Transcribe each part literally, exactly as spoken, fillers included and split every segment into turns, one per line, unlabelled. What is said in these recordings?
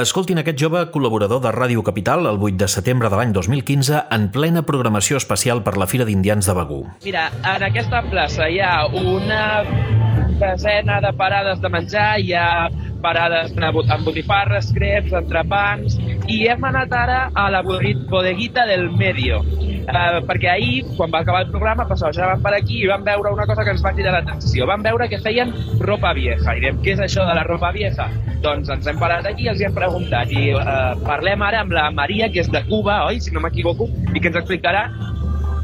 Escoltin aquest jove col·laborador de Ràdio Capital el vuit de setembre de l'any dos mil quinze en plena programació especial per la Fira d'Indians de Begur.
Mira, en aquesta plaça hi ha una desena de parades de menjar, hi ha parades amb botifarres, creps, entrepans, i hem anat ara a la bodeguita del Medio, eh, perquè ahir, quan va acabar el programa, passejàvem per aquí i vam veure una cosa que ens va cridar l'atenció. Vam veure que feien ropa vieja. I diem, què és això de la ropa vieja? Doncs ens hem parat aquí i els hi hem preguntat. I eh, parlem ara amb la Maria, que és de Cuba, oi? Si no m'equivoco, i que ens explicarà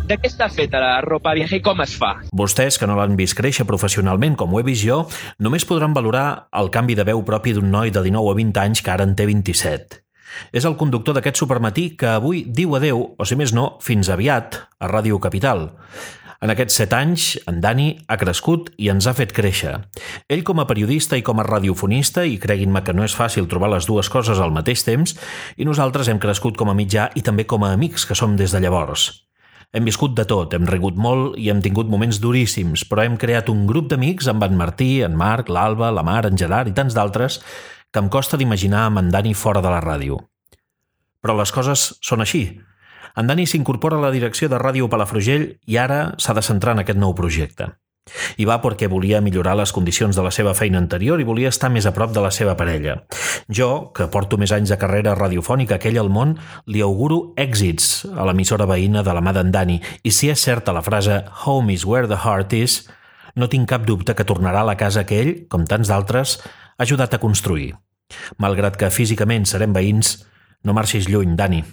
de què està feta la ropa vieja i com es fa.
Vostès, que no l'han vist créixer professionalment com ho he vist jo, només podran valorar el canvi de veu propi d'un noi de dinou a vint anys que ara en té vint-i-set. És el conductor d'aquest supermatí que avui diu adeu, o si més no, fins aviat, a Ràdio Capital. En aquests set anys, en Dani ha crescut i ens ha fet créixer. Ell com a periodista i com a radiofonista, i creguin-me que no és fàcil trobar les dues coses al mateix temps, i nosaltres hem crescut com a mitjà i també com a amics que som des de llavors. Hem viscut de tot, hem rigut molt i hem tingut moments duríssims, però hem creat un grup d'amics amb en Martí, en Marc, l'Alba, la Mar, en Gerard i tants d'altres que em costa d'imaginar amb en Dani fora de la ràdio. Però les coses són així. En Dani s'incorpora a la direcció de Ràdio Palafrugell i ara s'ha de centrar en aquest nou projecte. I va perquè volia millorar les condicions de la seva feina anterior i volia estar més a prop de la seva parella. Jo, que porto més anys de carrera radiofònica que ell al món, li auguro èxits a l'emissora veïna de la mà d'en Dani, i si és certa la frase "Home is where the heart is", no tinc cap dubte que tornarà a la casa que ell, com tants d'altres, ha ajudat a construir. Malgrat que físicament serem veïns, no marxis lluny, Dani.